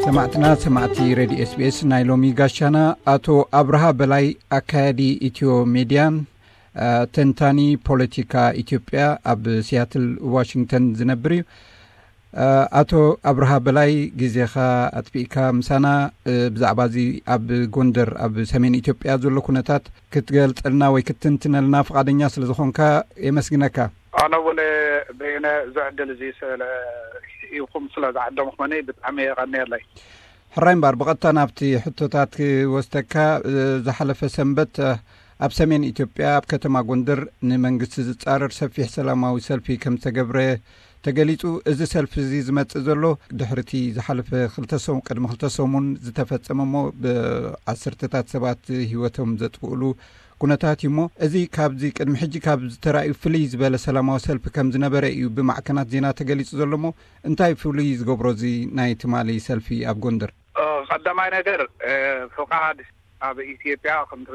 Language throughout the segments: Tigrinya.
ሰማዕትና ሰማዕቲ ሬድዮ ኤስቢኤስ፣ ናይ ሎሚ ጋሻና ኣቶ ኣብርሃ በላይ፣ ኣካያዲ ኢትዮ ሜድያን ተንታኒ ፖለቲካ ኢትዮጵያ፣ ኣብ ሲያትል ዋሽንግተን ዝነብር እዩ። ኣቶ ኣብርሃ በላይ፣ ግዜኻ ኣጥፊእካ ምሳና ብዛዕባ እዚ ኣብ ጎንደር፣ ኣብ ሰሜን ኢትዮጵያ ዘሎ ኩነታት ክትገልጸልና ወይ ክትትንትነልና ፍቓደኛ ስለ ዝኾንካ የመስግነካ። ኣነ እውን በየነ፣ እዚ ዕድል እዚ ስለ ኢኹም ስለ ዝዓደምኹምኒ ብጣዕሚ የቐንየለይ። ሕራይ እምበኣር፣ ብቐጥታ ናብቲ ሕቶታት ክወስደካ። ዝሓለፈ ሰንበት ኣብ ሰሜን ኢትዮጵያ ኣብ ከተማ ጎንደር ንመንግስቲ ዝጻረር ሰፊሕ ሰላማዊ ሰልፊ ከም ዝተገብረ ተገሊጹ። እዚ ሰልፊ እዚ ዝመጽእ ዘሎ ድሕሪቲ ዝሓለፈ ክልተ ሰሙ-፣ ቅድሚ ክልተ ሰሙን ዝተፈጸመ እሞ ብዓሰርተታት ሰባት ህይወቶም ዘጥፍእሉ ኩነታት እዩ እሞ፣ እዚ ካብዚ ቅድሚ ሕጂ ካብ ዝተራእዩ ፍልይ ዝበለ ሰላማዊ ሰልፊ ከም ዝነበረ እዩ ብማዕከናት ዜና ተገሊጹ ዘሎ እሞ፣ እንታይ ፍሉይ ዝገብሮ እዚ ናይ ትማሊ ሰልፊ ኣብ ጎንደር? እ፣ ቀዳማይ ነገር፣ እ፣ ፍቓድ ኣብ ኢትዮጵያ ከምቲ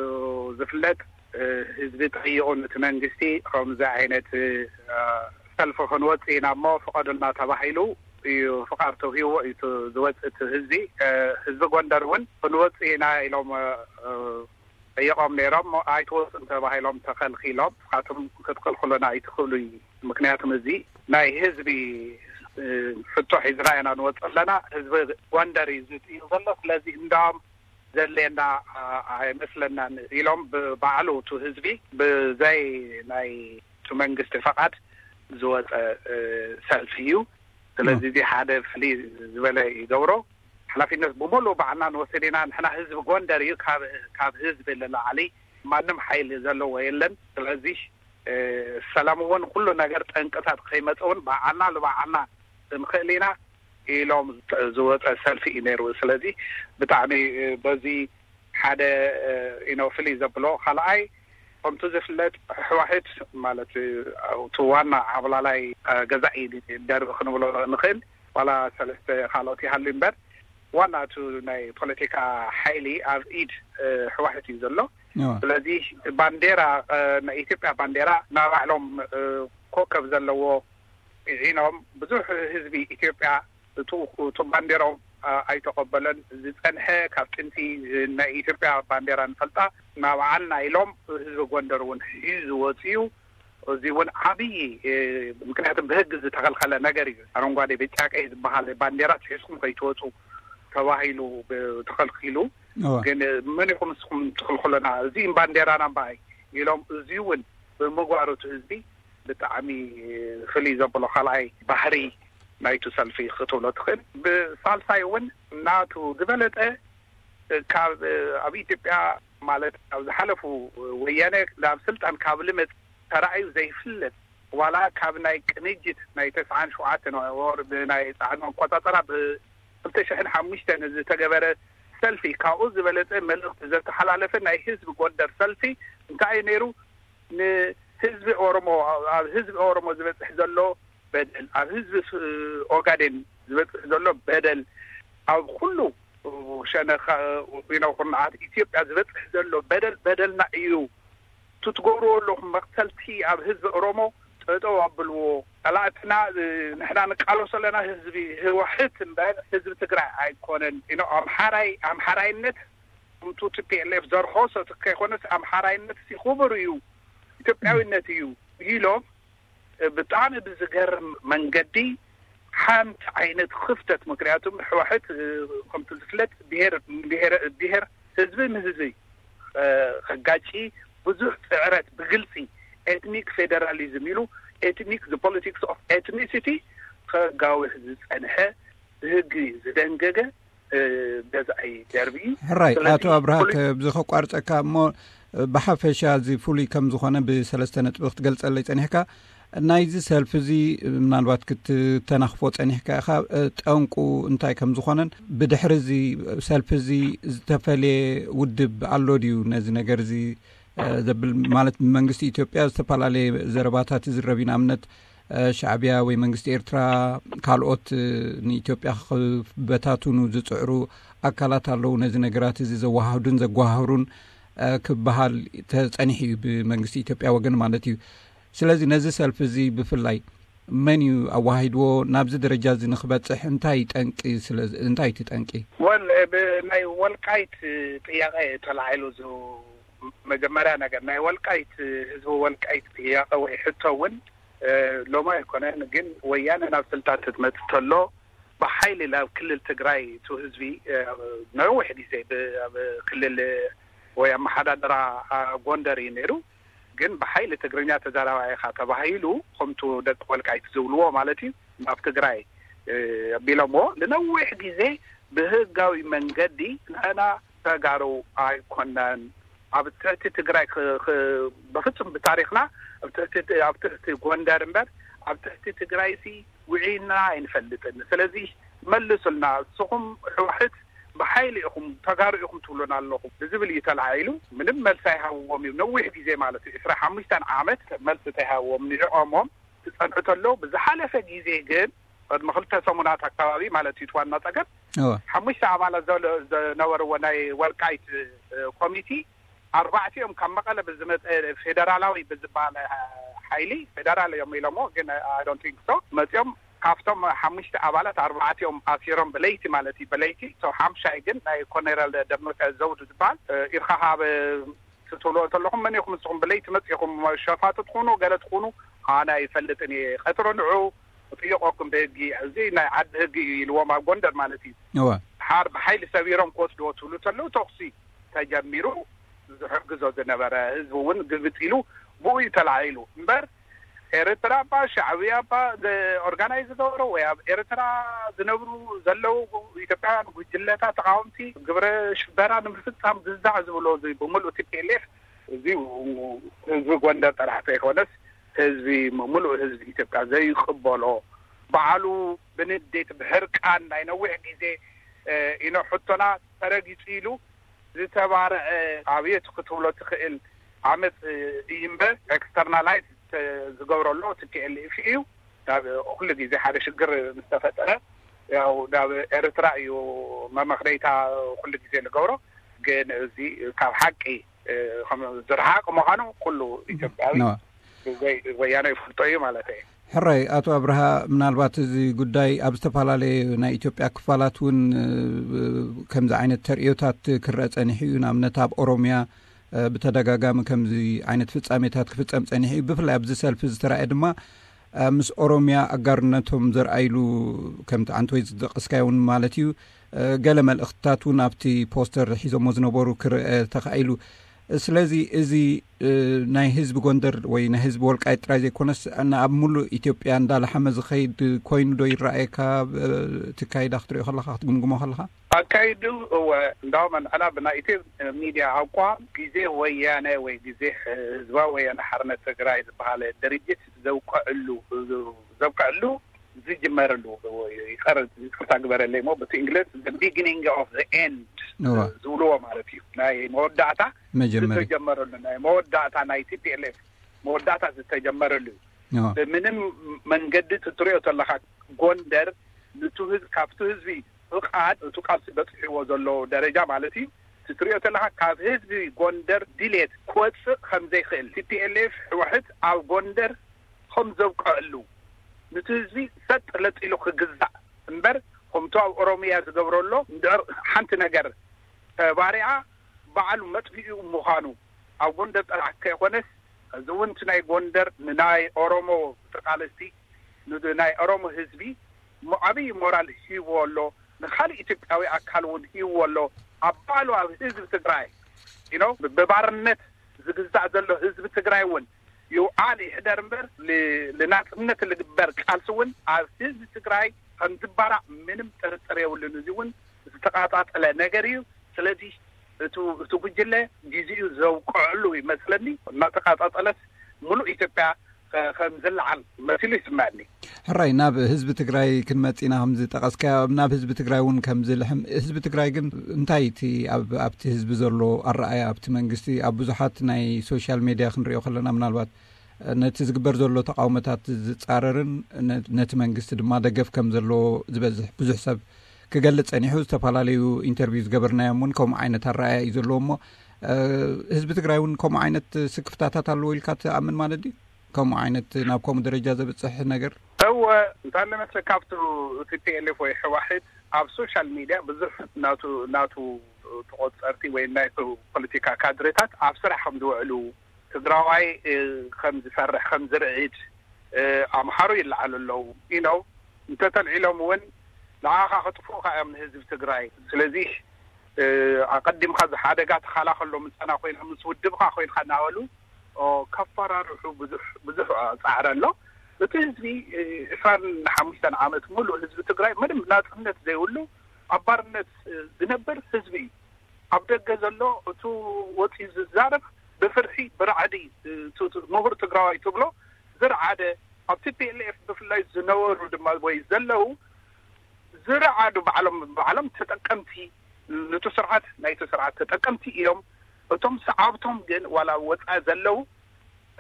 ዝፍለጥ፣ እ፣ ህዝቢ ጠይቑ ነቲ መንግስቲ ከምዚ ዓይነት፣ እ፣ ሰልፊ ክንወጽእ ኢና እሞ ፍቐዱልና ተባሂሉ እዩ ፍቓድ ተውሂዎ እዩ እቲ ዝወጽእ እቲ ህዝቢ። እ፣ ህዝቢ ጎንደር እውን ክንወጽእ ኢና ኢሎም፣ እ፣ ጠየቖም ነይሮም። ኣይትወፁን ተባሂሎም ተኸልኪሎም። ንስኻትኩም ክትክልክሉና ኣይትኽእሉ እዩ። ምክንያቱም እዚ ናይ ህዝቢ፣ እ፣ ሕቶ ሒዝና ኢና ንወፅእ ኣለና። ህዝቢ ጎንደር እዩ ዝጥይቕ ዘሎ። ስለዚ እንዳም ዘድልየና፣ አ፣ ኣይመስለናን ኢሎም ብባዕሉ እቲ ህዝቢ ብዘይ ናይ እቲ መንግስቲ ፈቓድ ዝወፀ፣ እ፣ ሰልፊ እዩ። ስለዚ እ። እዚ ሓደ ፍልይ ዝበለ ይገብሮ። ሓላፊነት ብምሉእ ባዕልና ንወስድ ኢና። ንሕና ህዝቢ ጎንደር እዩ፣ ካብ፣ ካብ ህዝቢ ንላዕሊ ማንም ሓይሊ ዘለዎ የለን። ስለዚ፣ እ፣ ሰላም እውን ኩሉ ነገር ጠንቅታት ከይመፀ እውን ባዕልና ንባዕልና ክንኽእል ኢና ኢሎም ዝወፀ ሰልፊ እዩ ነይሩ። ስለዚ ብጣዕሚ፣ እ፣ በዚ ሓደ፣ እ፣ ኢኖ ፍልይ ዘብሎ። ካልኣይ፣ ከምቲ ዝፍለጥ፣ ህወሓት ማለት፣ እ፣ እቲ ዋና ዓብላላይ፣ እ፣ ገዛኢ ደርቢ ክንብሎ ንኽእል፣ ዋላ ሰለስተ ካልኦት ይሃሉ እምበር፣ ዋና እቲ ናይ ፖለቲካ ሓይሊ ኣብ ኢድ፣ እ፣ ህወሓት እዩ ዘሎ። እዋ። ስለዚ ባንዴራ፣ እ፣ ናይ ኢትዮጵያ ባንዴራ ናባዕሎም፣ እ፣ ኮከብ ዘለዎ ዒኖም፣ ብዙሕ ህዝቢ ኢትዮጵያ እቱ፣ እቱ ባንዴራኦም፣ እ፣ ኣይተቐበለን። ዝጸንሐ ካብ ጥንቲ ናይ ኢትዮጵያ ባንዴራ ንፈልጣ ናባዓልና ኢሎም ህዝቢ ጎንደር እውን ሒዙ ወፂኡ። እዚ እውን ዓብዪ፣ እ፣ ምክንያቱም ብህጊ ዝተኸልከለ ነገር እዩ። ኣረንጓዴ፣ ብጫ፣ ቀይ ዝበሃል ባንዴራ ሒዝኩም ከይትወፁ ተባሂሉ ብ-፣ ተኸልኪሉ። እዋ። ግን መን ኢኹም ንስኹም ትኽልክሉና? እዚ ባንዴራና እምበኣይ ኢሎም፣ እዚ እውን ብምግባሩ እቲ ህዝቢ ብጣዕሚ ፍልይ ዘብሎ ካልኣይ ባህሪ ናይቲ ሰልፊ ክትብሎ ትኽእል። ብሳልሳይ እውን ናቱ ዝበለጠ ካብ ኣብ ኢትዮጵያ ማለት ኣብ ዝሓለፉ ወያነ ናብ ስልጣን ካብ ልመጽ ተራእዩ ዘይፍለጥ ዋላ ካብ ናይ ቅንጅት ናይ ተስዓን ሸውዓተን ወር ብናይ ጻዕኑ ኣቆጻጽራ ብ ክልተ ሽሕን ሓሙሽተን ዝተገበረ ሰልፊ ካብኡ ዝበለጸ መልእኽቲ ዘተሓላለፈ ናይ ህዝቢ ጎንደር ሰልፊ እንታይ እዩ ነይሩ? ንህዝቢ ኦሮሞ፣ ኣብ ህዝቢ ኦሮሞ ዝበጽሕ ዘሎ በደል፣ ኣብ ህዝቢ ስ-፣ ኦጋዴን ዝበጽሕ ዘሎ በደል፣ ኣብ ኩሉ ሸነኽ፣ you know፣ ኩርናዓት ኢትዮጵያ ዝበጽሕ ዘሎ በደል በደልና እዩ። እቲ ትገብርዎ ኣለኹም መቕተልቲ ኣብ ህዝቢ ኦሮሞ ጠጠው ኣብልዎ። ጸላእትና፣ እ፣ ንሕና ንቃለሶ ኣለና ህዝቢ ህወሓት እምበር ህዝቢ ትግራይ ኣይኮነን። You know፣ ኣምሓራይ፣ ኣምሓራይነት ከምቱ ቲ ፒ ኤል ኤፍ ዘርኸሶ ከይኮነስ ኣምሓራይነት ሲ ክቡር እዩ፣ ኢትዮጵያዊነት እዩ ኢሎም ብጣዕሚ ብዝገርም መንገዲ ሓንቲ ዓይነት ክፍተት፣ ምክንያቱም ህወሓት፣ እ፣ ከምቲ ዝፍለጥ ብሄር፣ ብሄር፣ ብሄር ህዝቢ ንህዝቢ፣ እ፣ ከጋጪ ብዙሕ ጽዕረት ብግልጺ ኤትኒክ ፌደራሊዝም ኢሉ ኤትኒክ፣ the politics of ethnicity ከጋውሕ ዝጸንሐ ብህጊ ዝደንገገ፣ እ፣ ገዛኢ ደርቢ እዩ። ሕራይ፣ ስለዚ ኣቶ ኣብርሃ፣ ፖለቲ- ከብዚ ከቋርጸካ እሞ፣ እ፣ ብሓፈሻ እዚ ፍሉይ ከም ዝኾነ ብሰለስተ ነጥቢ ክትገልጸለይ ጸኒሕካ። ናይዚ ሰልፊ እዚ ምናልባት ክትተናኽፎ ጸኒሕካ ኢኻ፣ እ፣ ጠንቁ እንታይ ከም ዝኾነን፣ ብድሕሪ እዚ ሰልፊ እዚ ዝተፈልየ ውድብ ኣሎ ድዩ ነዚ ነገር እዚ፣ እ፣ ዘብል፣ ማለት ብመንግስቲ ኢትዮጵያ ዝተፈላለየ ዘረባታት ይዝረብ እዩ። ንኣብነት፣ እ፣ ሻዕብያ ወይ መንግስቲ ኤርትራ፣ ካልኦት፣ እ፣ ንኢትዮጵያ ክበታትኑ ዝጽዕሩ ኣካላት ኣለዉ፣ ነዚ ነገራት እዚ ዘወሃህዱን ዘጓሃህሩን፣ እ፣ ክበሃል ተጸኒሑ እዩ፣ ብመንግስቲ ኢትዮጵያ ወገን ማለት እዩ። ስለዚ ነዚ ሰልፊ እዚ ብፍላይ መን እዩ ኣዋሂድዎ? ናብዚ ደረጃ እዚ ንክበፅሕ እንታይ ጠንቂ ስለ እንታይ እቲ ጠንቂ? ወል ብናይ ወልቃይት ጥያቄ ተላዒሉ ዝ መጀመሪያ ነገር ናይ ወልቃይት ህዝቢ ወልቃይት ጥያቄ ወይ ሕቶ እውን ሎማ ኣይኮነን። ግን ወያነ ናብ ስልጣን ትመጽእ ተሎ ብሓይሊ ናብ ክልል ትግራይ እቲ ህዝቢ ነዊሕ ግዜ ኣብ ክልል ወይ ኣመሓዳድራ ጎንደር እዩ ነይሩ። ግን ብሓይሊ ትግርኛ ተዛራባይ ኢኻ ተባሂሉ ከምቱ ደቂ ወልቃይት ዝብልዎ ማለት እዩ ናብ ትግራይ ኣቢሎምዎ ንነዊሕ ግዜ ብህጋዊ መንገዲ ንሕና ተጋሩ ኣይኮናን ኣብ ትሕቲ ትግራይ ብፍጹም ብታሪክና ኣብ ትሕቲ ጎንደር እምበር ኣብ ትሕቲ ትግራይ ሲ ውዒና ኣይንፈልጥን። ስለዚ መልሱልና እስኹም ሕዋሕት ብሓይሊ ኢኹም ተጋሩ ኢኹም ትብሉና ኣለኹም ብዝብል እዩ ተላዒሉ። ምንም መልሲ ኣይሃብዎም እዩ ነዊሕ ግዜ ማለት እዩ ዕስራ ሓሙሽተ ዓመት መልሲ ተይሃብዎም ንዕኦሞም ትጸንሑ ተሎ ብዝሓለፈ ግዜ ግን ቅድሚ ክልተ ሰሙናት ኣካባቢ ማለት እዩ ዋና ጸገም ሓሙሽተ ኣባላት ዝነበርዎ ናይ ወልቃይት ኮሚቲ ኣርባዕቲኦም ካብ መቐለ ብዝመፀ ፌደራላዊ ብዝበሃል ሓይሊ ፌደራል እዮም ኢሎሞ ግን I don't think so መፂኦም ካብቶም ሓሙሽተ ኣባላት ኣርባዕቲኦም ኣሲሮም ብለይቲ ማለት እዩ ብለይቲ ሓምሻይ ግን ናይ ኮነረል ደመቀ ዘውዱ ዝበሃል ኢርካ ካብ ትብልዎ ተለኹም መን ኢኹም ንስኹም ብለይቲ መፂኹም ሸፋቱ ትኹኑ ገለ ትኹኑ ኣነ ኣይፈልጥን እየ ቀፅሮ ንዑ እጥይቆኩም ብህጊ እዚ ናይ ዓዲ ህጊ እዩ ኢልዎም ኣብ ጎንደር ማለት እዩ ሓር ብሓይሊ ሰቢሮም ክወስድዎ ትብሉ ተለዉ ተኩሲ ተጀሚሩ ዝሕግዞ ዝነበረ ህዝቢ እውን ግልብጥ ኢሉ ብኡ እዩ ተላዒሉ እምበር ኤርትራ እባ ሻዕብያ እባ ኦርጋናይዝ ዝገበሮ ወይ ኣብ ኤርትራ ዝነብሩ ዘለዉ ኢትዮጵያውያን ጉጅለታት ተቃወምቲ ግብረ ሽበራ ንምፍፃም ግዛዕ ዝብሎ እዚ ብምሉእ ቲ ፒ ኤል ኤፍ እዚ ህዝቢ ጎንደር ጥራሕ ዘይኮነስ ህዝቢ ምሉእ ህዝቢ ኢትዮጵያ ዘይቅበሎ ባዕሉ ብንዴት ብሕርቃን ናይ ነዊሕ ግዜ ኢኖ ሕቶና ተረጊፁ ኢሉ ዝተባረዐ ኣብየት ክትብሎ ትኽእል ዓመፅ እዩ እምበር ኤክስተርናላይዝ ዝገብረሎ ቲ ፒ ኤል ኤፍ እዩ። ኩሉ ግዜ ሓደ ሽግር ምስ ተፈጠረ ያው ናብ ኤርትራ እዩ መመኽነይታ ኩሉ ግዜ ዝገብሮ። ግን እዚ ካብ ሓቂ ዝረሓቕ ምዃኑ ኩሉ ኢትዮጵያዊ ብዘይ ወያነ ይፈልጦ እዩ ማለት እዩ። ሕራይ ኣቶ ኣብርሃ፣ ምናልባት እዚ ጉዳይ ኣብ ዝተፈላለዩ ናይ ኢትዮጵያ ክፋላት እውን ከምዚ ዓይነት ተርእዮታት ክረአ ጸኒሑ እዩ። ንኣብነት ኣብ ኦሮሚያ ብተደጋጋሚ ከምዚ ዓይነት ፍጻሜታት ክፍጸም ጸኒሑ እዩ። ብፍላይ ኣብዚ ሰልፊ ዝተራእየ ድማ ምስ ኦሮሚያ ኣጋርነቶም ዘርኣይሉ ከምቲ ዓንተወይ ዝጠቀስካዮ እውን ማለት እዩ ገለ መልእኽትታት እውን ኣብቲ ፖስተር ሒዞሞ ዝነበሩ ክረአ ተኻኢሉ። ስለዚ እዚ ናይ ህዝቢ ጎንደር ወይ ናይ ህዝቢ ወልቃይት ጥራይ ዘይኮነስ ኣብ ሙሉእ ኢትዮጵያ እንዳላሓመ ዝኸይድ ኮይኑ ዶ ይረኣየካ? እቲ ካይዳ ክትሪኦ ከለካ ክትግምግሞ ከለካ ኣካይዱ እወ እንዳውም ኣንሕና ብናይ ኢትዮ ሚድያ ኣቋም ግዜ ወያነ ወይ ግዜ ህዝባዊ ወያነ ሓርነት ትግራይ ዝበሃለ ድርጅት ዘውቀዕሉ ዘውቀዕሉ ዝጅመረሉ ይቀር ይቅርታ ግበረለይ ሞ በቲ እንግሊዝ ቢግኒንግ ኦፍ ኤንድ ዝብልዎ ማለት እዩ ናይ መወዳእታ መጀመሪ ዝተጀመረሉ ናይ መወዳእታ ናይ ቲ ፒ ኤል ኤፍ መወዳእታ ዝተጀመረሉ እዩ ብምንም መንገዲ ትትሪኦ ተለካ ጎንደር ንቱ ህዝብ ካብቱ ህዝቢ ፍቃድ እቱ ቃልሲ በፅሕዎ ዘሎ ደረጃ ማለት እዩ ትትሪኦ ተለካ ካብ ህዝቢ ጎንደር ድሌት ክወፅእ ከምዘይክእል ቲ ፒ ኤል ኤፍ ሕወሕት ኣብ ጎንደር ከም ዘብቀዐሉ ንቲ ህዝቢ ሰጥ ለጢሉ ክግዛእ እምበር ከምቱ ኣብ ኦሮሚያ ዝገብረሎ እንድዕር ሓንቲ ነገር ተባሪዓ ባዕሉ መጥፊኡ ምዃኑ ኣብ ጎንደር ጥራሕ ከይኮነስ እዚ እውን እቲ ናይ ጎንደር ንናይ ኦሮሞ ተቃለስቲ ንናይ ኦሮሞ ህዝቢ ዓብይ ሞራል ሂብዎ ኣሎ ንካልእ ኢትዮጵያዊ ኣካል እውን ሂብዎ ኣሎ ኣብ ባዕሉ ኣብ ህዝቢ ትግራይ you know ብባርነት ዝግዛእ ዘሎ ህዝቢ ትግራይ እውን ይውዓል ይሕደር እምበር ንናፅነት ዝግበር ቃልሲ እውን ኣብ ህዝቢ ትግራይ ከም ዝባራዕ ምንም ጥርጥር የብሉን። እዚ እውን ዝተቃፃፀለ ነገር እዩ። ስለዚ እቲ ጉጅለ ግዜኡ ዘውቅዐሉ ይመስለኒ። እናተቃፃፀለስ ሙሉእ ኢትዮጵያ ከም ዝለዓል መሲሉ ይስምዐኒ። ሕራይ ናብ ህዝቢ ትግራይ ክንመፅእ ኢና ከምዝጠቀስካዮ ናብ ህዝቢ ትግራይ እውን ከምዝልሕም ህዝቢ ትግራይ ግን እንታይ እቲ ኣብቲ ህዝቢ ዘሎ ኣረኣያ ኣብቲ መንግስቲ ኣብ ብዙሓት ናይ ሶሻል ሜድያ ክንሪኦ ከለና ምናልባት ነቲ ዝግበር ዘሎ ተቃውሞታት ዝፃረርን ነቲ መንግስቲ ድማ ደገፍ ከም ዘለዎ ዝበዝሕ ብዙሕ ሰብ ክገልፅ ፀኒሑ ዝተፈላለዩ ኢንተርቪው ዝገበርናዮም እውን ከምኡ ዓይነት ኣረኣያ እዩ ዘለዎ እሞ ህዝቢ ትግራይ እውን ከምኡ ዓይነት ስክፍታታት ኣለዎ ኢልካ ትኣምን ማለት ድዩ? ከምኡ ዓይነት ናብ ከምኡ ደረጃ ዘብፅሕ ነገር እወ፣ እንታይ ኣለመስለ፣ ካብቱ እቲ ፒኤልኤፍ ወይ ሕዋሕት ኣብ ሶሻል ሚድያ ብዙሕ ናቱ ናቱ ተቆጸርቲ ወይ ናይ ፖለቲካ ካድሬታት ኣብ ስራሕ ከም ዝውዕሉ፣ ትግራዋይ ከም ዝፈርሕ ከም ዝርዕድ ኣምሓሩ ይለዓሉ ኣለዉ። ኢኖ እንተተልዒሎም እውን ንዓኻ ክጥፉኡካ እዮም ንህዝቢ ትግራይ። ስለዚ ኣቀዲምካ እዚ ሓደጋ ተኸላኸሎ፣ ምሳና ኮይና ምስ ውድብካ ኮይንካ እናበሉ ከፈራርሑ ብዙሕ ብዙሕ ፃዕሪ ኣሎ። እቲ ህዝቢ ዕስራን ሓሙሽተን ዓመት ሙሉእ ህዝቢ ትግራይ ምንም ናፅነት ዘይብሉ ኣብ ባርነት ዝነብር ህዝቢ እዩ። ኣብ ደገ ዘሎ እቱ ወፂኡ ዝዛረብ ብፍርሒ ብራዕዲ ምሁር ትግራዋይ ትብሎ ዝረዓደ ኣብ ቲ ፒ ኤል ኤፍ ብፍላይ ዝነበሩ ድማ ወይ ዘለዉ ዝረዓዱ ባዕሎም ባዕሎም ተጠቀምቲ ንቱ ስርዓት ናይቲ ስርዓት ተጠቀምቲ እዮም። እቶም ሰዓብቶም ግን ዋላ ወፃኢ ዘለዉ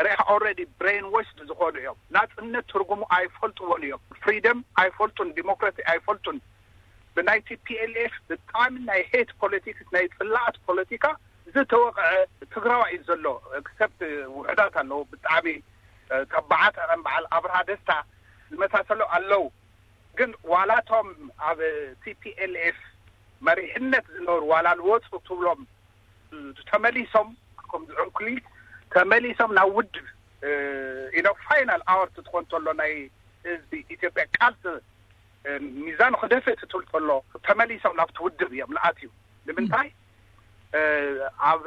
ሪኢኻ ኦልሬዲ ብሬን ዎሽድ ዝኾኑ እዮም። ናፅነት ትርጉሙ ኣይፈልጥዎን እዮም። ፍሪደም ኣይፈልጡን፣ ዲሞክራሲ ኣይፈልጡን። ብናይ ቲ ፒ ኤል ኤፍ ብጣዕሚ ናይ ሄት ፖለቲክስ ናይ ፅላኣት ፖለቲካ ዝተወቕዐ ትግራዋይ እዩ ዘሎ። ኤክሰፕት ውሕዳት ኣለዉ ብጣዕሚ ተባዓት ከም በዓል ኣብርሃ ደስታ ዝመሳሰሉ ኣለዉ። ግን ዋላቶም ኣብ ቲ ፒ ኤል ኤፍ መሪሕነት ዝነበሩ ዋላ ዝወፁ ትብሎም ተመሊሶም ከም ዝዕንኩሊል ተመሊሶም ናብ ውድብ ኢኖ ፋይናል ኣወር ትኾን ተሎ ናይ ህዝቢ ኢትዮጵያ ቃልሲ ሚዛኑ ክደፍእ ትትብል ተሎ ተመሊሶም ናብቲ ውድብ እዮም ዝኣትዩ። ንምንታይ ኣብ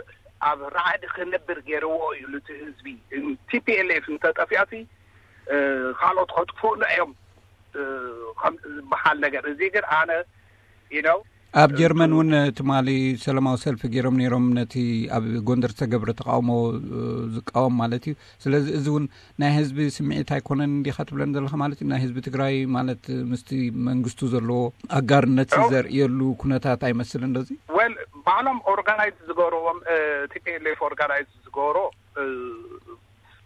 ኣብ ራዕዲ ክነብር ገይርዎ እዩ እቲ ህዝቢ። ቲ ፒ ኤል ኤፍ እንተጠፊኣቲ ካልኦት ከጥፍኡና እዮም ዝበሃል ነገር እዚ ግን ኣነ ኢኖ ኣብ ጀርመን እውን ትማሊ ሰላማዊ ሰልፊ ገይሮም ነይሮም ነቲ ኣብ ጎንደር ዝተገብረ ተቃውሞ ዝቃወም ማለት እዩ። ስለዚ እዚ እውን ናይ ህዝቢ ስምዒት ኣይኮነን እንዲኻ ትብለን ዘለኻ ማለት እዩ። ናይ ህዝቢ ትግራይ ማለት ምስቲ መንግስቱ ዘለዎ ኣጋርነት ዘርእየሉ ኩነታት ኣይመስልን ዶ እዚ? ወል ባዕሎም ኦርጋናይዝ ዝገብርዎም ቲ ፒ ኤል ኤፍ ኦርጋናይዝ ዝገብሮ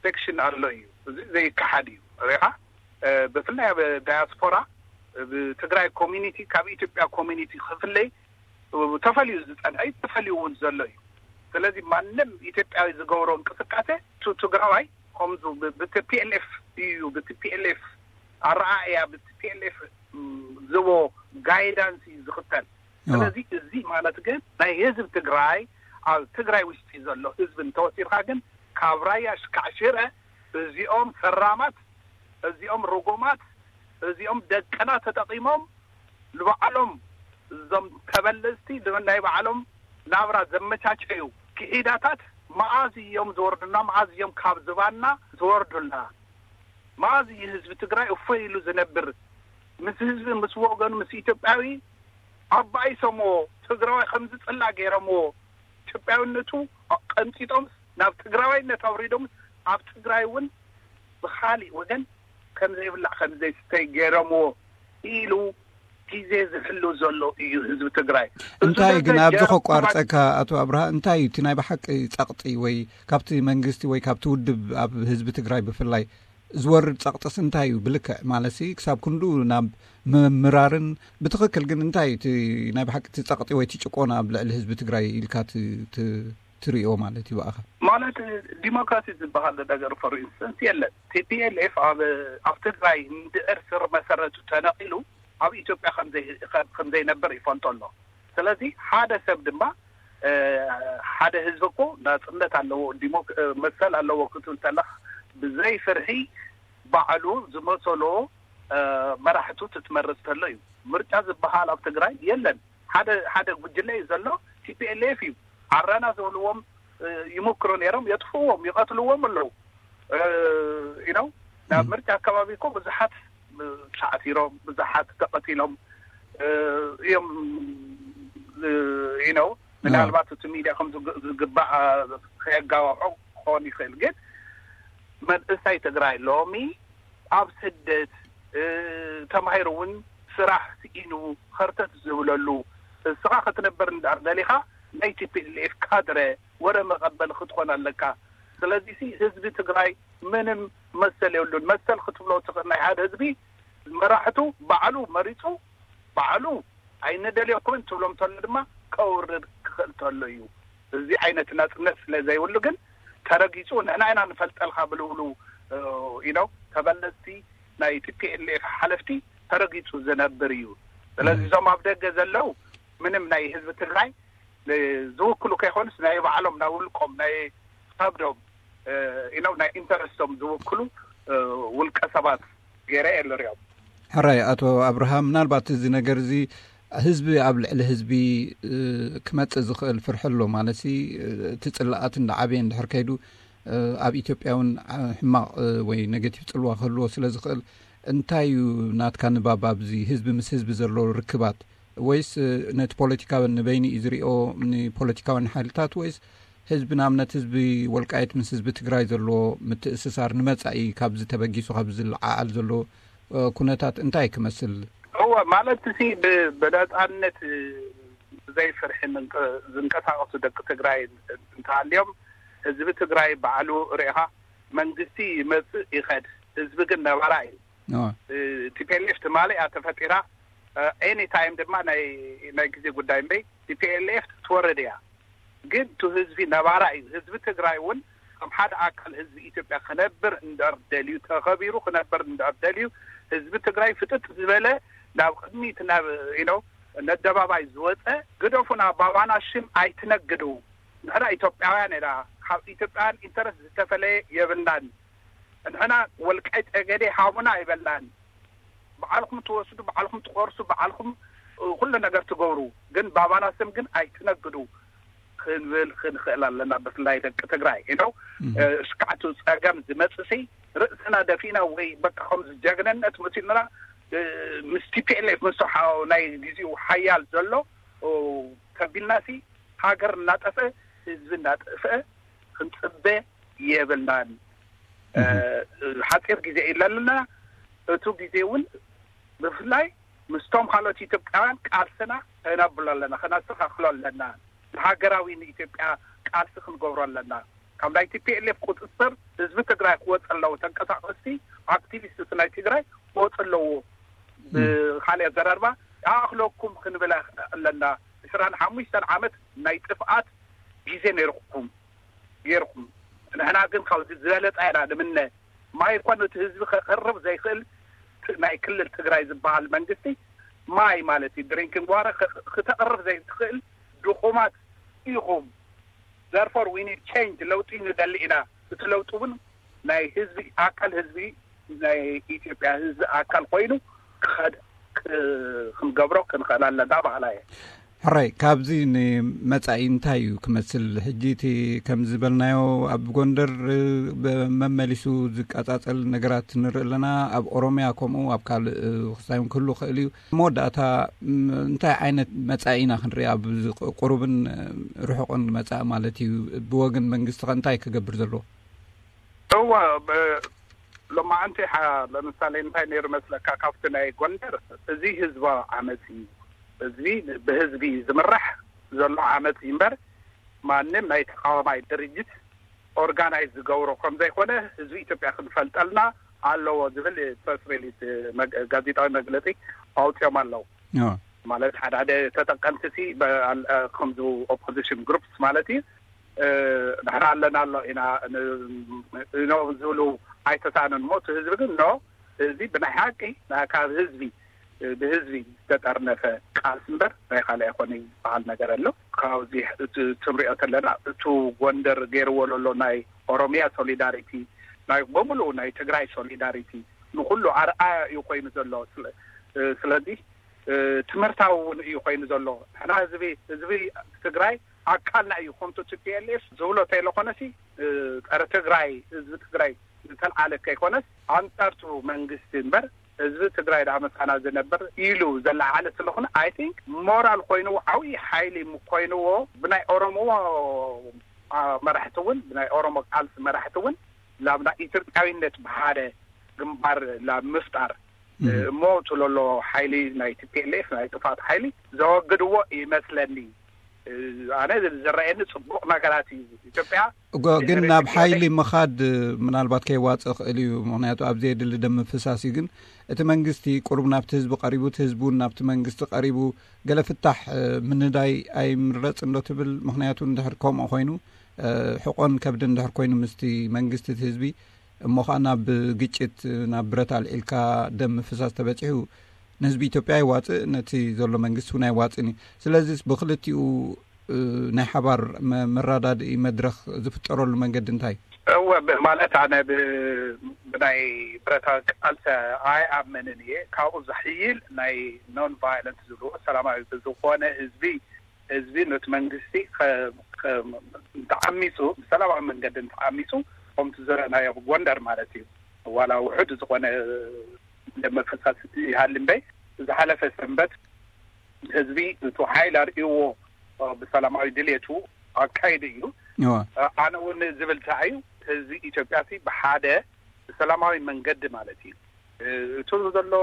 ሴክሽን ኣሎ እዩ። እዚ ዘይከሓድ እዩ። ሪኻ ብፍላይ ኣብ ዳያስፖራ ብትግራይ ኮሚኒቲ ካብ ኢትዮጵያ ኮሚኒቲ ክፍለይ ተፈልዩ ዝፀንሐ እዩ፣ ተፈልዩ እውን ዘሎ እዩ። ስለዚ ማንም ኢትዮጵያዊ ዝገብሮ እንቅስቃሴ ቱ ትግራዋይ ከምዚ ብቲ ፒ ኤል ኤፍ እዩ ብቲ ፒ ኤል ኤፍ ኣረኣእያ ብቲ ፒ ኤል ኤፍ ዝቦ ጋይዳንስ እዩ ዝኽተል። ስለዚ እዚ ማለት ግን ናይ ህዝብ ትግራይ ኣብ ትግራይ ውሽጢ ዘሎ ህዝብ እንተወሲድካ ግን ካብ ራያ ሽካዕ ሽረ እዚኦም ፈራማት፣ እዚኦም ርጉማት፣ እዚኦም ደቅና ተጠቂሞም ንባዕሎም እዞም ተበለዝቲ ናይ ባዕሎም ናብራ ዘመቻቸዩ ክሒዳታት መኣዝ እዮም ዝወርዱና? መኣዝ እዮም ካብ ዝባና ዝወርዱና? መኣዝ እዩ ህዝቢ ትግራይ እፎይ ኢሉ ዝነብር? ምስ ህዝቢ ምስ ወገኑ ምስ ኢትዮጵያዊ ኣባኢሶምዎ ትግራዋይ ከም ዝፅላእ ገይሮምዎ ኢትዮጵያውነቱ ቀንጢጦም ናብ ትግራዋይነት ኣውሪዶም ኣብ ትግራይ እውን ብካሊእ ወገን ከም ዘይብላዕ ከም ዘይስተይ ገይሮምዎ ኢሉ ግዜ ዝሕሉ ዘሎ እዩ ህዝቢ ትግራይ። እንታይ ግን ኣብዚ ከቋርፀካ ኣቶ ኣብርሃ እንታይ እዩ እቲ ናይ ብሓቂ ፀቕጢ ወይ ካብቲ መንግስቲ ወይ ካብቲ ውድብ ኣብ ህዝቢ ትግራይ ብፍላይ ዝወርድ ፀቕጥስ እንታይ እዩ ብልክዕ ማለትሲ ክሳብ ክንዱ ናብ ምምራርን ብትኽክል ግን እንታይ እቲ ናይ ብሓቂ እቲ ፀቕጢ ወይ እቲ ጭቆና ኣብ ልዕሊ ህዝቢ ትግራይ ኢልካ ትርእዮ ማለት እዩ ብኣኻ? ማለት ዲሞክራሲ ዝበሃል ነገር for instance የለን። ቲ ፒ ኤል ኤፍ ኣብ ኣብ ትግራይ እንድዕር ስር መሰረቱ ተነቒሉ ኣብ ኢትዮጵያ ከም ዘይነብር ይፈልጦ ኣሎ። ስለዚ ሓደ ሰብ ድማ ሓደ ህዝቢ እኮ ናፅነት ኣለዎ መሰል ኣለዎ ክትብል ተለካ ብዘይ ፍርሒ ባዕሉ ዝመሰሎ መራሕቱ ትትመርፅ ተሎ እዩ። ምርጫ ዝበሃል ኣብ ትግራይ የለን። ሓደ ሓደ ጉጅለ እዩ ዘሎ። ቲ ፒ ኤል ኤፍ እዩ። ኣረና ዝብልዎም ይሞክሩ ነይሮም የጥፍዎም ይቐትልዎም ኣለዉ። ኢኖ ናብ ምርጫ ኣካባቢ እኮ ብዙሓት ተዓሲሮም ብዙሓት ተቐቲሎም እዮም። ኢኖ ምናልባት እቲ ሚድያ ከም ዝግባእ ከየጋባሖ ክኸውን ይኽእል ግን መንእሰይ ትግራይ ሎሚ ኣብ ስደት ተማሂሩ እውን ስራሕ ስኢኑ ኸርተት ዝብለሉ እስኻ ክትነብር እንዳር ደሊኻ ናይ ቲ ፒ ኤል ኤፍ ካድረ ወረ መቐበል ክትኾን ኣለካ። ስለዚ ህዝቢ ትግራይ ምንም መሰል የብሉን። መሰል ክትብሎ ትኽእል ናይ ሓደ ህዝቢ መራሕቱ ባዕሉ መሪፁ ባዕሉ ኣይንደልየኩምን ትብሎም ተሎ ድማ ከውርድ ክኽእል ተሎ እዩ። እዚ ዓይነት ናፅነት ስለ ዘይብሉ ግን ተረጊፁ ንሕና ኢና ንፈልጠልካ ብልብሉ ኢኖ ተበለፅቲ ናይ ቲ ፒ ኤል ኤፍ ሓለፍቲ ተረጊጹ ዝነብር እዩ። ስለዚ እዞም ኣብ ደገ ዘለዉ ምንም ናይ ህዝቢ ትግራይ ዝውክሉ ከይኮኑስ ናይ ባዕሎም ናይ ውልቆም ናይ ከብዶም ኢኖም ናይ ኢንተረስቶም ዝውክሉ ውልቀ ሰባት ገይረ እየ ዝሪኦም። ሕራይ ኣቶ ኣብርሃም፣ ምናልባት እዚ ነገር እዚ ህዝቢ ኣብ ልዕሊ ህዝቢ ክመጽእ ዝኽእል ፍርሒ ኣሎ ማለት ሲ እቲ ጽላኣት እንዳዓበየ እንድሕር ከይዱ ኣብ ኢትዮጵያ እውን ሕማቕ ወይ ኔጌቲቭ ጽልዋ ክህልዎ ስለ ዝኽእል እንታይ እዩ ናትካ ንባብ ኣብዚ ህዝቢ ምስ ህዝቢ ዘሎ ርክባት? ወይስ ነቲ ፖለቲካዊ ንበይኑ እዩ ዝሪኦ ንፖለቲካውያን ሓይልታት ወይስ ህዝቢ ንኣብነት ህዝቢ ወልቃይት ምስ ህዝቢ ትግራይ ዘለዎ ምትእስሳር ንመጻኢ ካብዚ ተበጊሱ ካብ ዝለዓዓል ዘሎ ኩነታት እንታይ ክመስል? እወ ማለት ሲ ብነፃነት ብዘይ ፍርሒ ዝንቀሳቀሱ ደቂ ትግራይ እንተሃልዮም ህዝቢ ትግራይ ባዕሉ ርኢኻ መንግስቲ ይመፅእ ይኸድ ህዝቢ ግን ነባራ እዩ። ቲ ፒ ኤል ኤፍ ትማሊ እያ ተፈጢራ። ኤኒ ታይም ድማ ናይ ናይ ግዜ ጉዳይ እምበይ ቲ ፒ ኤል ኤፍ ትወርድ እያ። ግን ቱ ህዝቢ ነባራ እዩ። ህዝቢ ትግራይ እውን ከም ሓደ ኣካል ህዝቢ ኢትዮጵያ ክነብር እንድሕር ደልዩ ተኸቢሩ ክነብር እንድሕር ደልዩ ህዝቢ ትግራይ ፍጥጥ ዝበለ ናብ ቅድሚት ናብ ኢኖ ነደባባይ ዝወፀ ግደፉና ባባና ሽም ኣይትነግዱ። ንሕና ኢትዮጵያውያን ኢና። ካብ ኢትዮጵያውያን ኢንተረስት ዝተፈለየ የብልናን። ንሕና ወልቃይ ጠገዴ ሃቡና ኣይበልናን። በዓልኩም ትወስዱ በዓልኩም ትቆርሱ በዓልኩም ኩሉ ነገር ትገብሩ ግን ባባና ስም ግን ኣይትነግዱ ክንብል ክንኽእል ኣለና። ብፍላይ ደቂ ትግራይ ኢኖ እስካዕቱ ፀገም ዝመፅሲ ርእስና ደፊና ወይ በቃ ከምዚ ጀግንነት መሲሉና ምስ ቲ ፒ ኤል ኤፍ ምስ ናይ ግዜኡ ሓያል ዘሎ ተቢልናሲ ሃገር እናጠፍአ ህዝቢ እናጠፍአ ክንፅበ የብልናን። ሓፂር ግዜ ኢለና እቱ ግዜ እውን ብፍላይ ምስቶም ካልኦት ኢትዮጵያውያን ቃልስና ከነብሎ ኣለና ከነስተካክሎ ኣለና። ንሃገራዊ ንኢትዮጵያ ቃልሲ ክንገብሮ ኣለና። ካብ ናይ ቲ ፒ ኤል ኤፍ ቁፅፅር ህዝቢ ትግራይ ክወፅ ኣለዎ። ተንቀሳቀስቲ ኣክቲቪስት ናይ ትግራይ ክወፅ ኣለዎ። ብካሊእ ዘረርባ ይኣክለኩም ክንብል ኣለና። ዕስራን ሓሙሽተን ዓመት ናይ ጥፍኣት ግዜ ነይርኩም ገይርኩም ንሕና ግን ካብዚ ዝበለፀ ኢና ንምነ። ማይ እኳ ነቲ ህዝቢ ከቅርብ ዘይክእል ናይ ክልል ትግራይ ዝበሃል መንግስቲ ማይ ማለት እዩ ድሪንኪንግ ዋተር ክተቅርብ ዘይትክእል ድኹማት ኢኹም። ዘርፎር ዊ ኒድ ቸንጅ ለውጢ ንደሊ ኢና። እቲ ለውጢ እውን ናይ ህዝቢ ኣካል ህዝቢ ናይ ኢትዮጵያ ህዝቢ ኣካል ኮይኑ ክኸድ ክንገብሮ ክንኽእል ኣለና በሃላ እየ። ሕራይ ካብዚ ንመጻኢ እንታይ እዩ ክመስል? ሕጂ እቲ ከም ዝበልናዮ ኣብ ጎንደር መመሊሱ ዝቀጻጸል ነገራት ንርኢ ኣለና። ኣብ ኦሮምያ ከምኡ ኣብ ካልእ ክሳይ ክህሉ ክእል እዩ። መወዳእታ እንታይ ዓይነት መጻኢ ኢና ክንርኢ? ኣብ ቁሩብን ርሑቕን መጻኢ ማለት እዩ። ብወገን መንግስቲ ከ እንታይ ክገብር ዘለዎ? እወ ሎማዓንቲ ለምሳሌ እንታይ ነይሩ መስለካ ካብቲ ናይ ጎንደር እዚ ህዝባዊ ዓመፅ እዩ። ህዝቢ ብህዝቢ ዝምራሕ ዘሎ ዓመፅ እዩ እምበር ማንም ናይ ተቃዋማይ ድርጅት ኦርጋናይዝ ዝገብሮ ከምዘይኮነ ህዝቢ ኢትዮጵያ ክንፈልጠልና ኣለዎ ዝብል ፕረስ ሪሊስ ጋዜጣዊ መግለፂ ኣውፅኦም ኣለዉ። ማለት ሓደ ሓደ ተጠቀምቲ ሲ ከምዚ ኦፖዚሽን ግሩፕስ ማለት እዩ ንሕና ኣለና ኣሎ ኢና ኖ ዝብሉ ኣይተሳእኑን እሞ እቲ ህዝቢ ግን ኖ ህዝቢ ብናይ ሓቂ ካብ ህዝቢ ብህዝቢ ዝተጠርነፈ ቃልሲ እምበር ናይ ካልእ ኣይኮነ ዝበሃል ነገር ኣሎ። ካብዚ እቲ ትንሪኦ ዘለና እቱ ጎንደር ገይርዎ ለሎ ናይ ኦሮሚያ ሶሊዳሪቲ ናይ በሙሉ ናይ ትግራይ ሶሊዳሪቲ ንኩሉ ኣርኣያ እዩ ኮይኑ ዘሎ። ስለዚ ትምህርታዊ እውን እዩ ኮይኑ ዘሎ። ንሕና ህዝቢ ህዝቢ ትግራይ ኣካልና እዩ ከምቲ ቲ ፒ ኤል ኤፍ ዝብሎ ተይለኮነሲ ፀረ ትግራይ ህዝቢ ትግራይ ዝተልዓለ ከይኮነስ ኣንፃርቱ መንግስቲ እምበር ህዝቢ ትግራይ ደኣ መሳና ዝነብር ኢሉ ዘለዓለ ስለኾነ ኣይ ቲንክ ሞራል ኮይኑ ዓብዪ ሓይሊ ኮይንዎ ብናይ ኦሮሞ መራሕቲ እውን ብናይ ኦሮሞ ቃልሲ መራሕቲ እውን ላብ ናይ ኢትዮጵያዊነት ብሓደ ግንባር ላብ ምፍጣር እሞ ትለሎ ሓይሊ ናይ ቲ ፒ ኤል ኤፍ ናይ ጥፋት ሓይሊ ዘወግድዎ ይመስለኒ። ኣነ ዝረአየኒ ፅቡቅ ነገራት እዩ ኢትዮጵያ ግን ናብ ሓይሊ ምኻድ ምናልባት ከይዋፅእ ክእል እዩ። ምክንያቱ ኣብ ዘየድሊ ደም ምፍሳስ እዩ። ግን እቲ መንግስቲ ቁሩብ ናብቲ ህዝቢ ቀሪቡ እቲ ህዝቢ እውን ናብቲ መንግስቲ ቀሪቡ ገለ ፍታሕ ምንዳይ ኣይምረፅ እንዶ ትብል? ምክንያቱ እንድሕር ከምኡ ኮይኑ ሕቆን ከብዲ እንድሕር ኮይኑ ምስቲ መንግስቲ እቲ ህዝቢ እሞ ኸዓ ናብ ግጭት፣ ናብ ብረት ኣልዒልካ ደም ምፍሳስ ተበጺሑ፣ ንህዝቢ ኢትዮጵያ ኣይዋፅእ፣ ነቲ ዘሎ መንግስቲ እውን ኣይዋፅእን እዩ። ስለዚስ ብክልቲኡ ናይ ሓባር መራዳድኢ መድረኽ ዝፍጠረሉ መንገዲ እንታይ? እወ፣ ማለት ኣነ ብናይ ብረታዊ ቃልሲ ኣይኣምንን እየ። ካብኡ ዝሕይል ናይ ኖን ቫይለንት ዝብልዎ፣ ሰላማዊ ብዝኾነ ህዝቢ ህዝቢ ነቲ መንግስቲ ተዓሚፁ፣ ብሰላማዊ መንገዲ እንተዓሚፁ፣ ከምቲ ዝረእናዮ ብጎንደር ማለት እዩ፣ ዋላ ውሑድ ዝኾነ ደም መፈሳስ ይሃሊ እምበይ፣ ዝሓለፈ ሰንበት ህዝቢ እቲ ሓይል ኣርእዎ ብሰላማዊ ድሌቱ ኣካይዱ እዩ። ኣነ እውን ዝብል እንታይ እዩ፣ ህዝቢ ኢትዮጵያ ብሓደ ብሰላማዊ መንገዲ ማለት እዩ፣ እቱ ዘሎ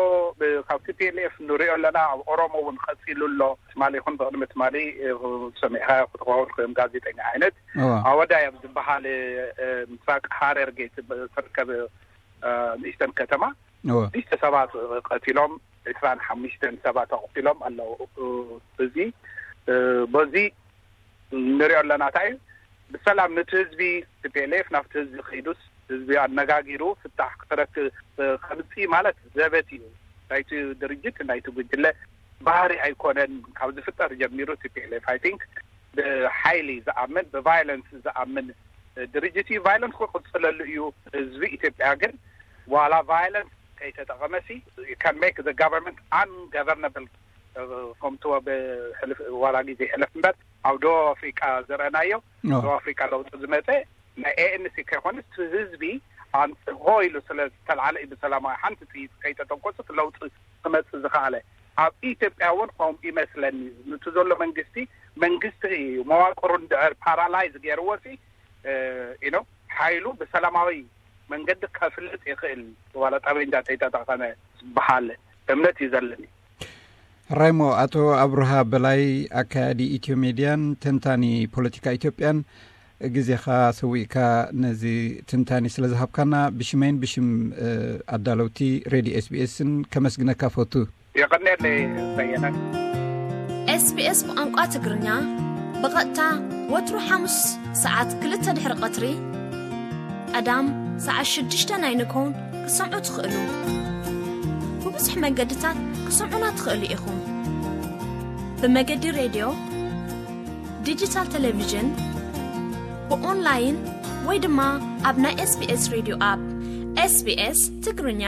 ካብ ቲፒኤልኤፍ ንሪኦ ኣለና። ኣብ ኦሮሞ እውን ቀፂሉ ኣሎ። ትማሊ ይኹን ብቅድሚ ትማሊ ሰሚዕካ ክትኸውን ከም ጋዜጠኛ ዓይነት ኣወዳይ ኣብ ዝበሃል ምስራቅ ሃረርጌ ትርከብ ንእሽተን ከተማ ሽተ ሰባት ቀቲሎም፣ ዕስራን ሓሙሽተን ሰባት ኣቑሲሎም ኣለዉ። እዚ በዚ ንሪኦ ኣለና። እንታይ እዩ ብሰላም ነቲ ህዝቢ፣ ቲፒኤልኤፍ ናብቲ ህዝቢ ከይዱስ ህዝቢ ኣነጋጊሩ ፍታሕ ክተረክ ከምፅእ ማለት ዘበት እዩ። ናይቲ ድርጅት ናይቲ ጉጅለ ባህሪ ኣይኮነን። ካብ ዝፍጠር ጀሚሩ ቲፒኤልኤፍ ኣይ ቲንክ ብሓይሊ ዝኣምን፣ ብቫይለንስ ዝኣምን ድርጅት እዩ። ቫይለንስ ክቅፅለሉ እዩ። ህዝቢ ኢትዮጵያ ግን ዋላ ቫይለንስ ከይተጠቐመሲ can make the government ungovernable ከምትዎ ብሕልፍ ዋላ ግዜ ሕለፍ እምበር ኣብ ደቡብ ኣፍሪቃ ዝረእናዮ፣ ደቡብ ኣፍሪቃ ለውጢ ዝመፀ ናይ ኤኤንሲ ከይኮነስ ህዝቢ ኣንፅሆ ኢሉ ስለ ዝተልዓለ እዩ። ብሰላማዊ ሓንቲ ጥይት ከይተተኮሱት ለውጢ ክመፅእ ዝኸኣለ። ኣብ ኢትዮጵያ እውን ከምኡ ይመስለኒ። ንቱ ዘሎ መንግስቲ መንግስቲ እዩ፣ መዋቅሩ እንድዕር ፓራላይዝ ገይርዎ ሲ ኢኖ ሓይሉ ብሰላማዊ መንገዲ ከፍልጥ ይኽእል፣ ዋላ ጠበንጃ ተይተጠቐመ ዝበሃል እምነት እዩ ዘለኒ። ሕራይሞ፣ ኣቶ ኣብርሃ በላይ፣ ኣካያዲ ኢትዮ ሜድያን ተንታኒ ፖለቲካ ኢትዮጵያን ግዜኻ ሰዊእካ ነዚ ትንታኒ ስለ ዝሃብካና ብሽመይን ብሽም ኣዳለውቲ ሬድዮ ኤስቢኤስን ከመስግነካ ፈቱ። የቐንየለይ በየነ። ኤስቢኤስ ብቋንቋ ትግርኛ ብቐጥታ ወትሩ ሓሙስ ሰዓት ክልተ ድሕሪ ቀትሪ፣ ቀዳም ሰዓት ሽዱሽተ ናይ ንግሆን ክሰምዑ ትኽእሉ። ብብዙሕ መገድታት ክሰምዑና ትኽእሉ ኢኹም። ብመገዲ ሬድዮ፣ ዲጂታል ቴሌቪዥን፣ ብኦንላይን ወይ ድማ ኣብ ናይ ኤስቢኤስ ሬድዮ ኣፕ። ኤስቢኤስ ትግርኛ።